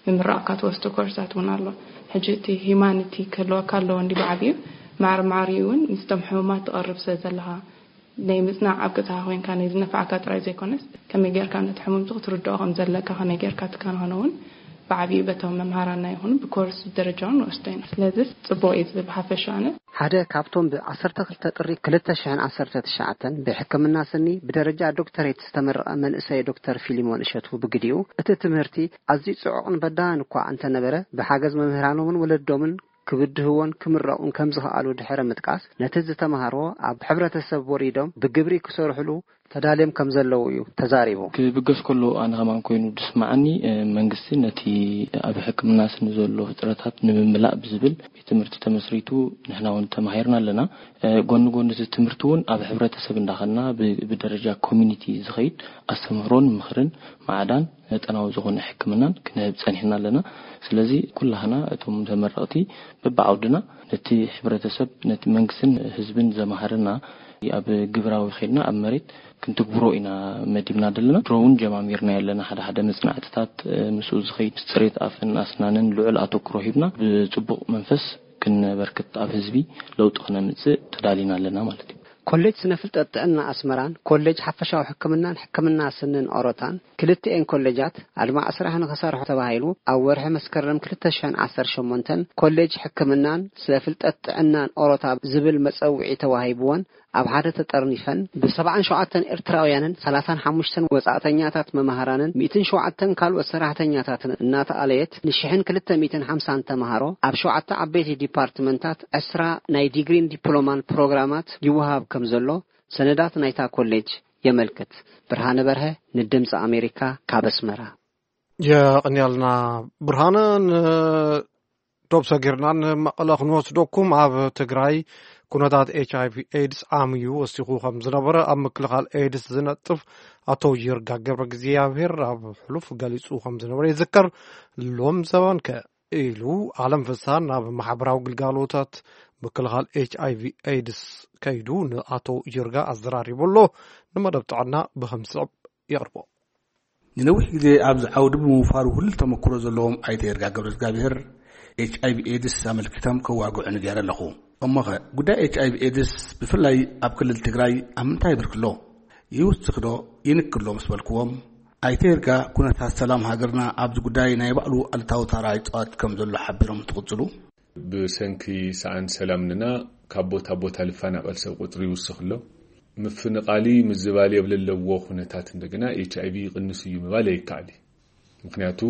ምምራቕካ ትወስዶ ኮርሳት እውን ኣሎ። ሕጂ እቲ ሂማኒቲ ክህልወካ ኣለዎ እንዲ ብዓብዩ ማዕረ ማዕሪኡ እውን ምስቶም ሕሙማት ትቐርብ ስለ ዘለኻ ናይ ምጽናዕ ኣብ ገዛኻ ኮይንካ ናይ ዝነፍዓካ ጥራይ ዘይኮነስ ከመይ ጌርካ ነቲ ሕሙምቲ ክትርድኦ ከም ዘለካ ከመይ ጌርካ ትከናኸኖ እውን ብዓብዩ በቶም መምሃራና ይኹኑ ብኮርስ ደረጃ እውን ንወስዶ ኢና። ስለዚ ጽቡቕ እዩ ዝብል ሓፈሻ ኣነ። ሓደ ካብቶም ብ12 ጥሪ ክልተ ሽሕን ዓሰርተ ትሽዓተን ብሕክምና ስኒ ብደረጃ ዶክተሬት ዝተመረቐ መንእሰይ ዶክተር ፊሊሞን እሸቱ ብግዲኡ፣ እቲ ትምህርቲ ኣዝዩ ጽዑቕን በዳህን እኳ እንተነበረ፣ ብሓገዝ መምህራኖምን ወለዶምን ክብድህዎን ክምረቑን ከም ዝኸኣሉ ድሕሪ ምጥቃስ፣ ነቲ ዝተምሃርዎ ኣብ ሕብረተሰብ ወሪዶም ብግብሪ ክሰርሕሉ ተዳልዮም ከም ዘለዉ እዩ ተዛሪቡ። ክብገስ ከሎ ኣነ ከማን ኮይኑ ዝስምዓኒ፣ እ፣ መንግስቲ ነቲ ኣብ ሕክምና ስኒ ዘሎ ፍጥረታት ንምምላእ ብዝብል ቤት ትምህርቲ ተመስሪቱ ንሕና እውን ተማሂርና ኣለና። እ፣ ጎኒ ጎኒ እዚ ትምህርቲ እውን ኣብ ሕብረተሰብ እንዳኸና ብ-፣ ብደረጃ ኮሚኒቲ ዝኸይድ ኣስተምህሮን ምኽርን ማዕዳን መጠናዊ ዝኾነ ሕክምናን ክንህብ ጸኒሕና ኣለና። ስለዚ ኩላህና እቶም ተመረቕቲ በብዓውድና ነቲ ሕብረተሰብ፣ ነቲ መንግስትን ህዝብን ዘማህርና ኣብ ግብራዊ ኸይድና ኣብ መሬት ክንትግብሮ ኢና መዲብና ዘለና። ድሮ እውን ጀማሚርና ኣለና። ሓደ ሓደ መጽናዕትታት፣ እ፣ ምስኡ ዝኸይድ ምስ ጽሬት ኣፍን ኣስናንን ልዑል ኣተኩሮ ሂብና ብጽቡቕ መንፈስ ክንበርክት ኣብ ህዝቢ ለውጢ ክነምጽእ ተዳሊና ኣለና ማለት እዩ። ኮሌጅ ስነ ፍልጠት ጥዕና ኣስመራን ኮሌጅ ሓፈሻዊ ሕክምናን ሕክምና ስንን ኦሮታን ክልቲኤን ኮሌጃት ኣድማዕ ስራሕ ንኽሰርሑ ተባሂሉ ኣብ ወርሒ መስከረም ክልተ ሽሕን ዓሰርተ ሸሞንተን ኮሌጅ ሕክምናን ስነ ፍልጠት ጥዕናን ኦሮታ ዝብል መጸውዒ ተዋሂብወን ኣብ ሓደ ተጠርኒፈን ብሰብዓን ሸውዓተን ኤርትራውያንን ሰላሳን ሓሙሽተን ወጻእተኛታት መማህራንን ሚእትን ሸውዓተን ካልኦት ሰራሕተኛታትን እናተኣለየት ንሽሕን ክልተ ሚእትን ሓምሳን ተምሃሮ ኣብ ሸውዓተ ዓበይቲ ዲፓርትመንታት ዕስራ ናይ ዲግሪን ዲፕሎማን ፕሮግራማት ይወሃብ ከም ዘሎ ሰነዳት ናይታ ኮሌጅ የመልክት። ብርሃነ በርሀ ንድምፂ ኣሜሪካ ካብ ኣስመራ። የቕንያልና ብርሃነ። ንዶብ ሰጊርና ንመቐለ ክንወስደኩም። ኣብ ትግራይ ኩነታት ኤች ኣይ ቪ ኤድስ ዓምዩ ወሲኹ ከም ዝነበረ ኣብ ምክልኻል ኤድስ ዝነጥፍ ኣቶ ይርጋ ገብረ እግዚኣብሔር ኣብ ሕሉፍ ገሊጹ ከም ዝነበረ ይዝከር። ሎም ዘበንከ ኢሉ ዓለም ፍስሃ ናብ ማሕበራዊ ግልጋሎታት ምክልኻል ኤች ኣይ ቪ ኤድስ ከይዱ ንኣቶ ይርጋ ኣዘራሪቡ ኣሎ። ንመደብ ጥዕና ብኸም ዝስዕብ የቕርቦ። ንነዊሕ ግዜ ኣብዚ ዓውዲ ብምውፋሩ ህሉል ተመክሮ ዘለዎም ኣይተ ይርጋ ገብረ እግዚኣብሔር ኤች ኣይ ቪ ኤድስ ኣመልኪቶም ከዋግዑ ንገይረ ኣለኹ። እሞኸ ጉዳይ ኤች ኣይ ቪ ኤድስ ብፍላይ ኣብ ክልል ትግራይ ኣብ ምንታይ ብርኪ ኣሎ? ይውስኽ ዶ ይንክሎ ምስ በልክዎም፣ ኣይተ ይርጋ ኩነታት ሰላም ሃገርና ኣብዚ ጉዳይ ናይ ባዕሉ ኣሉታዊ ታራ ይጻወት ከም ዘሎ ሓቢሮም እንትቕጽሉ፣ ብሰንኪ ሰኣን ሰላም ንና ካብ ቦታ ቦታ ልፈናቐል ሰብ ቁጽሪ ይውስኽ ኣሎ። ምፍንቓሊ ምዝባል የብለለዎ ኩነታት እንደገና ኤች ኣይ ቪ ይቕንስ እዩ ምባል ኣይከኣል እዩ። ምክንያቱ፣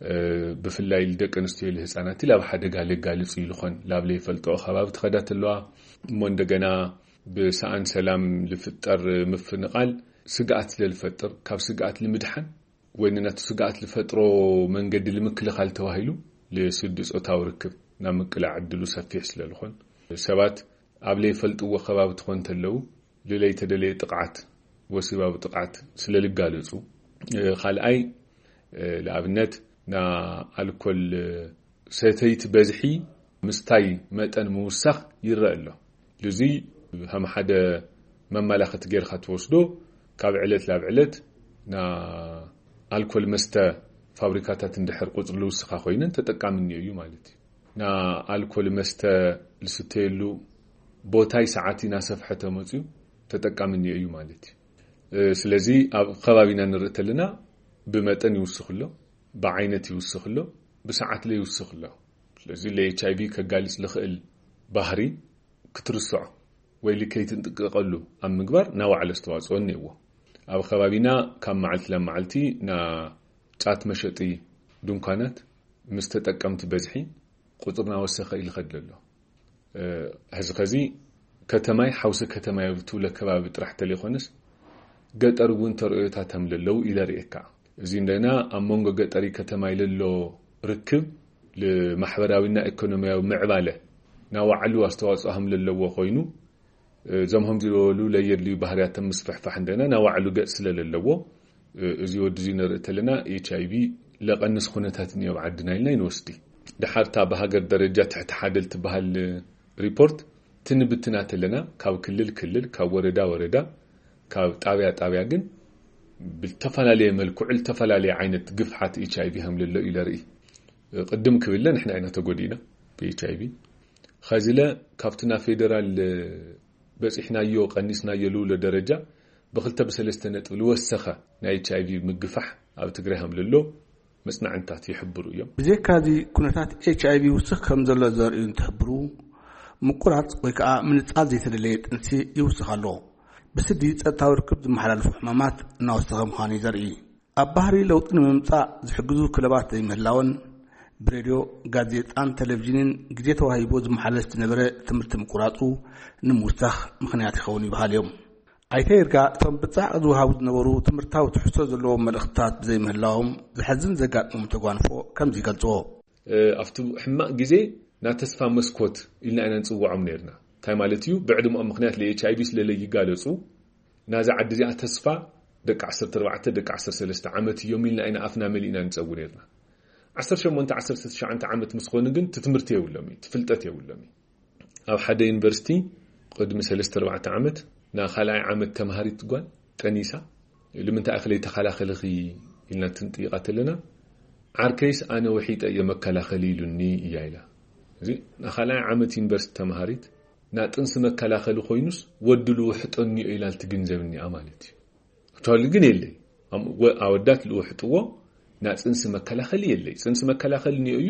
እ፣ ብፍላይ ልደቂ ኣንስትዮ ልህፃናት ላብ ሓደጋ ለጋልጽ እዩ ልኾን ላብ ለይፈልጦ ከባቢ ትኸዳ ተለዋ እሞ እንደገና ብሰኣን ሰላም ልፍጠር ምፍንቓል ስግኣት ስለልፈጥር ካብ ስግኣት ልምድሓን ወይ ንነቱ ስግኣት ልፈጥሮ መንገዲ ልምክልኻል ተባሂሉ ልስዲ ጾታዊ ርክብ ናብ ምቅላዕ ዕድሉ ሰፊሕ ስለልኾን ሰባት ኣብ ለይፈልጥዎ ከባቢ ትኾን ተለው ልለይተደለየ ጥቕዓት፣ ወሲባዊ ጥቕዓት ስለልጋለጹ፣ እ፣ ካልኣይ፣ እ፣ ለኣብነት ና ኣልኮል ሰተይቲ በዝሒ ምስታይ መጠን ምውሳኽ ይረአ ኣሎ። እዚ ከም ሓደ መመላኸቲ ጌርካ ትወስዶ፣ ካብ ዕለት ላብ ዕለት ና ኣልኮል መስተ ፋብሪካታት እንድሕር ቁጽሪ ልውስኻ ኮይነን ተጠቃሚ እኒኦ እዩ ማለት እዩ። ና ኣልኮል መስተ ልስተየሉ ቦታይ ሰዓት እናሰፍሐ ተመፅዩ ተጠቃሚ እኒኦ እዩ ማለት እዩ። እ፣ ስለዚ ኣብ ከባቢና ንርኢ ተለና ብመጠን ይውስኽ ኣሎ፣ ብዓይነት ይውስኽ ኣሎ፣ ብሰዓት ለ ይውስኽ ኣሎ። ስለዚ ለ ኤች ኣይ ቪ ከጋልጽ ልኽእል ባህሪ ክትርስዖ ወይ ልከይትንጥቅቀሉ ኣብ ምግባር ናባዕሉ ኣስተዋጽኦ እኒአዎ። ኣብ ከባቢና ካብ መዓልቲ ናብ መዓልቲ ና ጫት መሸጢ ድንኳናት ምስ ተጠቀምቲ በዝሒ ቁጽሪ ናወሰኸ ኢሉ ኸድሎ ኣሎ። እ፣ ሕዚ ኸዚ ከተማይ ሓውሲ ከተማይ ኣብ ትብሎ ከባቢ ጥራሕ ተለይኮነስ ገጠር እውን ተርእዮታት ከም ለለዉ ኢለ ርእየካ። እዚ እንደና ኣብ መንጎ ገጠሪ ከተማይ ለሎ ርክብ ልማሕበራዊና ኢኮኖሚያዊ ምዕባለ ናባዕሉ ኣስተዋጽኦ ከም ለለዎ ኮይኑ፣ እዞም ከምዚ ዝበሉ ለየድልዩ ባህርያት ምስፍሕፋሕ እንደና ናባዕሉ ገጽ ስለ ለለዎ፣ እዚ ወዲ እዚ ንርኢ ተለና ኤች ኣይ ቪ ለቐንስ ኩነታት እኒኦ ኣብ ዓድና ኢልና ይንወስዲ። ድሓርታ ብሃገር ደረጃ ትሕቲ ሓደ ልትበሃል ሪፖርት ትንብትና ተለና፣ ካብ ክልል ክልል፣ ካብ ወረዳ ወረዳ፣ ካብ ጣብያ ጣብያ ግን ብዝተፈላለየ መልክዑ ዝተፈላለየ ዓይነት ግፍሓት ኤች ኣይ ቪ ከም ለሎ እዩ ለርኢ። ቅድም ክብለ ንሕና ኢና ተጎዲእና ብኤች ኣይ ቪ። ኸዚለ ካብቲ ናብ ፌደራል በፂሕናዮ፣ ቀኒስናዮ ልብሎ ደረጃ ብክልተ ብሰለስተ ነጥቢ ልወሰኸ ናይ ኤች ኣይ ቪ ምግፋሕ ኣብ ትግራይ ከም ለሎ መጽናዕንታት ይሕብሩ እዮም። ብዘይካዚ፣ ኩነታት ኤች ኣይ ቪ ይውስኽ ከም ዘሎ ዘርእዩ እንትሕብሩ፣ ምቁራጽ ወይ ከዓ ምንጻል ዘይተደለየ ጥንሲ ይውስኽ ኣሎ። ብስዲ ጸጥታዊ ርክብ ዝመሓላለፉ ሕማማት እናወሰኸ ምዃኑ እዩ ዘርኢ። ኣብ ባህሪ ለውጢ ንምምጻእ ዝሕግዙ ክለባት ዘይምህላወን፣ ብሬድዮ፣ ጋዜጣን ቴሌቪዥንን ግዜ ተዋሂቦ ዝመሓለፍ ዝነበረ ትምህርቲ ምቁራጹ ንምውሳኽ ምኽንያት ይኸውን ይበሃል እዮም። ኣይተ ይርጋ፣ እቶም ብጻዕቕ ዝወሃቡ ዝነበሩ ትምህርታዊ ትሕዝቶ ዘለዎም መልእኽትታት ብዘይምህላዎም ዘሕዝን ዘጋጥሞም ተጓንፎ ከምዚ ይገልጽዎ። እ፣ ኣብቲ ሕማቕ ግዜ ናይ ተስፋ መስኮት ኢልና ኢና ንጽውዖም ነይርና። እንታይ ማለት እዩ? ብዕድመኦም ምኽንያት ለ ኤች ኣይ ቪ ስለ ለይጋለጹ፣ ናዛ ዓዲ እዚኣ ተስፋ ደቂ ዓሰርተ ኣርባዕተ፣ ደቂ ዓሰርተ ሰለስተ ዓመት እዮም ኢልና ኢና ኣፍና መሊእና ንጸዊ ነይርና። ዓሰርተ ሸሞንተ፣ ዓሰርተ ትሽዓተ ዓመት ምስ ኾኑ ግን እቲ ትምህርቲ የብሎም እዩ፣ እቲ ፍልጠት የብሎም እዩ። ኣብ ሓደ ዩኒቨርሲቲ ቅድሚ ሰለስተ ኣርባዕተ ዓመት፣ ና ካልኣይ ዓመት ተምሃሪት ጓል ጠኒሳ፣ "ልምንታይ ኢኺ ለይተኸላኸልኺ?" ኢልና ትንጥይቓ ተለና፣ "ዓርከይስ ኣነ ውሒጠ እየ መከላኸሊ ኢሉኒ" እያ ኢላ። እዚ ንኻልኣይ ዓመት ዩኒቨርሲቲ ተምሃሪት፣ ና ጥንሲ መከላኸሊ ኮይኑስ ወዲ ልውሕጦ እኒኦ ኢላ ልትግንዘብ እኒኣ ማለት እዩ። ኣክቹዋሊ ግን የለይ። ኣም-፣ ወ-፣ ኣወዳት ልውሕጥዎ ና ጽንሲ መከላኸሊ የለይ። ጽንሲ መከላኸሊ እኒኦ እዩ፣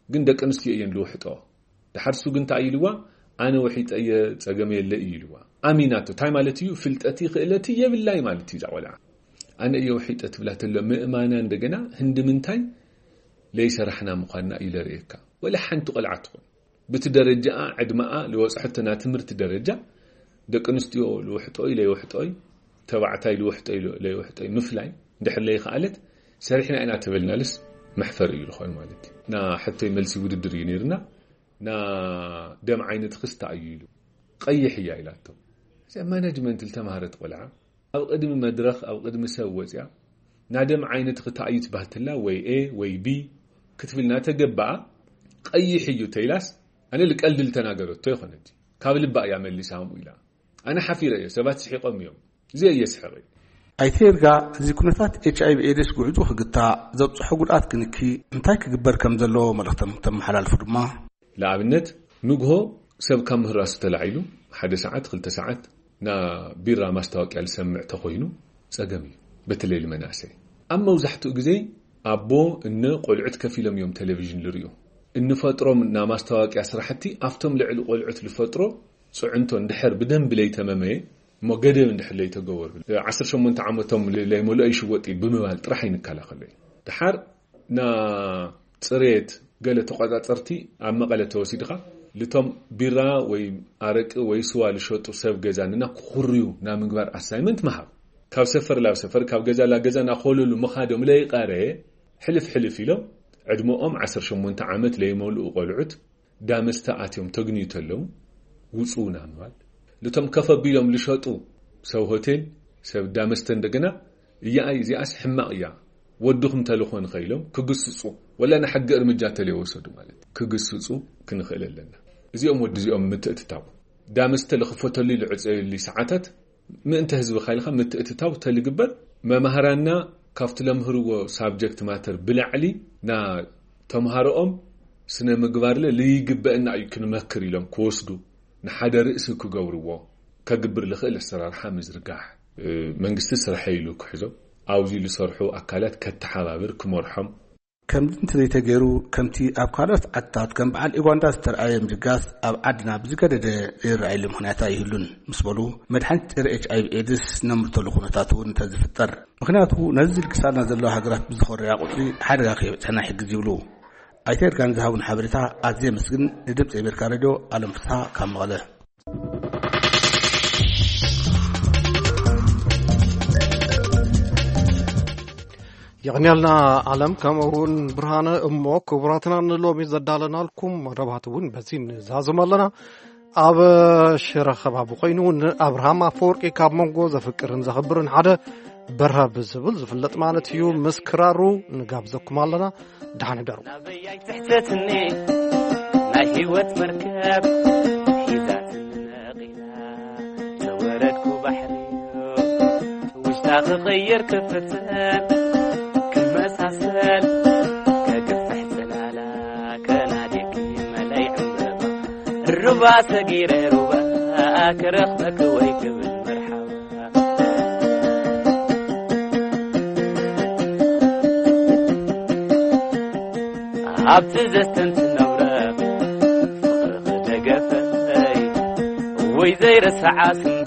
ግን ደቂ ኣንስትዮ እየን ልውሕጠኦ። ድሓር እሱ ግን እንታይ ኢልዋ? "ኣነ ውሒጠ እየ፣ ጸገም የለ" እዩ ኢልዋ። ኣሚናቶ። እንታይ ማለት እዩ? ፍልጠቲ ክእለቲ የብላይ ማለት እዩ እዛ ቆልዓ። "ኣነ እየ ውሒጠ" ትብላ ተሎ ምእማና እንደገና ህንዲ ምንታይ ለይሰራሕና ምዃንና እዩ ለርእየካ። ወላ ሓንቲ ቆልዓ ትኹን ብቲ ደረጃኣ፣ ዕድመኣ፣ ልወጽሐቶ ናይ ትምህርቲ ደረጃ፣ ደቂ ኣንስትዮ ልውሕጦይ ለይውሕጦይ፣ ተባዕታይ ልውሕጦይ ለ-፣ ለይውሕጦይ ምፍላይ እንድሕር ለይኸኣለት፣ ሰሪሕና ኢና ተበልናልስ መሕፈሪ እዩ ዝኾን ማለት እዩ። ና ሕቶይ መልሲ ውድድር እዩ ነይርና። "ና ደም ዓይነትኽስ እንታይ እዩ?" ኢሉ። "ቀይሕ እያ" ኢላቶ። እዚኣ ማናጅመንት ልተማሃረት ቆልዓ ኣብ ቅድሚ መድረኽ፣ ኣብ ቅድሚ ሰብ ወፅያ፣ "ና ደም ዓይነትኺ እንታይ እዩ?" ትባህትላ፣ ወይ ኤ ወይ ቢ ክትብል እናተገበኣ፣ "ቀይሕ እዩ" ተይላስ፣ ኣነ ልቀልዲ ልተናገረቶ ይኾነት፣ ካብ ልባ እያ መሊሳ ከምኡ ኢላ። ኣነ ሓፊረ እየ፣ ሰባት ስሒቆም እዮም፣ እዚ እየ ስሕቂ። ኣይተ ይርጋ፣ እዚ ኩነታት ኤች ኣይ ቪ ኤድስ ጉዕዙ ክግታእ፣ ዘብፅሖ ጉድኣት ክንኪ፣ እንታይ ክግበር ከም ዘለዎ መልእኽቶም ተመሓላልፉ ድማ፣ ንኣብነት፣ ንግሆ ሰብ ካብ ምህራሱ ተላዒሉ፣ ሓደ ሰዓት፣ ክልተ ሰዓት፣ ና ቢራ ማስታወቅያ ልሰምዕ ተኾይኑ፣ ጸገም እዩ። በተለይ ልመናእሰይ። ኣብ መብዛሕትኡ ግዜ፣ ኣቦ፣ እነ፣ ቆልዑት ከፊሎም እዮም ቴሌቪዥን ልርእዩ። እንፈጥሮም ና ማስታወቅያ ስራሕቲ፣ ኣብቶም ልዕሊ ቆልዑት ልፈጥሮ ጽዕንቶ እንድሕር ብደንቢ ለይተመመየ፣ እሞ ገደብ እንድሕር ለይተገበሩ፣ ዓሰርተ ሸሞንተ ዓመቶም ለይመልኦ ይሽወጥ እዩ ብምባል ጥራሕ ኣይንከላኸሎ እዩ። ድሓር ና ጽሬት ገለ ተቆጻጸርቲ ኣብ መቐለ ተወሲድኻ፣ ልቶም ቢራ ወይ ኣረቂ ወይ ስዋ ልሸጡ ሰብ ገዛ ንና ክኹርዩ ናብ ምግባር ኣሳይመንት ምሃብ። ካብ ሰፈር ላብ ሰፈር፣ ካብ ገዛ ላብ ገዛ ናኾለሉ ምኻዶም ለይቐረ፣ ሕልፍ ሕልፍ ኢሎም ዕድመኦም ዓሰርተ ሸሞንተ ዓመት ለይመልኡ ቆልዑት ዳመስተ ኣትዮም ተግንዩ ተለዉ፣ ውጹ ናብ ምባል። ልቶም ከፍ ኣቢሎም ልሸጡ ሰብ ሆቴል፣ ሰብ ዳመስተ እንደገና፣ እያኣይ እዚኣስ ሕማቕ እያ፣ ወድኹም ተልኾ ንኸኢሎም ክግስጹ፣ ወላ ንሕጊ እርምጃ ተለይወሰዱ ማለት ክግስጹ ክንኽእል ኣለና። እዚኦም ወዲ እዚኦም ምትእትታው፣ ዳመስተ ልኽፈተሉ ልዕጸየሉ ሰዓታት ምእንተ ህዝብኻ ኢልካ ምትእትታው ተልግበር፣ መማህራንና ካብቲ ለምህርዎ ሳብጀክት ማተር ብላዕሊ ና ተምሃሮኦም ስነ ምግባርለ ልይግበእና እዩ ክንመክር ኢሎም ክወስዱ፣ ንሓደ ርእሲ ክገብርዎ ከግብር ልኽእል ኣሰራርሓ ምዝርጋሕ፣ እ፣ መንግስቲ ስርሐ ኢሉ ክሕዞም፣ ኣብዚ ልሰርሑ ኣካላት ከተሓባብር ክመርሖም። ከምዚ እንተዘይተገይሩ፣ ከምቲ ኣብ ካልኦት ዓድታት ከም በዓል ኡጋንዳ ዝተርኣየ ምድጋስ ኣብ ዓድና ብዝገደደ ዘይረኣየሉ ምኽንያት ኣይህሉን ምስ በሉ፣ መድሓኒት ጸረ ኤች ኣይ ቪ ኤድስ ነምርተሉ ኩነታት እውን እንተዝፍጠር። ምኽንያቱ ነዚ ዝልግሳልና ዘለዋ ሃገራት ብዝኾረያ ቁጽሪ ሓደጋ ከየብጽሐና ይሕግዝ ይብሉ። ኣይተ ይርጋን ዝሃቡን ሓበሬታ ኣዝየ የመስግን። ንድምፂ ኣሜሪካ ሬድዮ ኣለም ፍስሃ ካብ መቐለ። የቐንያልና ኣለም፣ ከምኡ እውን ብርሃነ። እሞ ክቡራትና ንሎሚ ዘዳለናልኩም መደባት እውን በዚ ንዛዝም ኣለና። ኣብ ሽረ ከባቢ ኮይኑ ንኣብርሃም ኣፈወርቂ ካብ መንጎ ዘፍቅርን ዘኽብርን ሓደ በርሀ ብዝብል ዝፍለጥ ማለት እዩ ምስ ክራሩ ንጋብዘኩም ኣለና። ደሓን ሕደሩ። ናበይ ኣይትሕተትኒ ናይ ህይወት መርከብ ሒዛትኒ ነቒላ፣ ተወረድኩ ባሕሪ ውሽጣ ክቕይር ክፍትን ክመሳሰል፣ ከግፍሕ ጽላላ ከናድየኪ መለይ ዕምበባ፣ ሩባ ሰጊረ ሩባ ክረኽበኪ ወይ ክብል መርሓባ። ኣብቲ ዘስተንትን ነብረ ፍቕርኺ ደገፈይ ወይ ዘይረስዓ ስኒ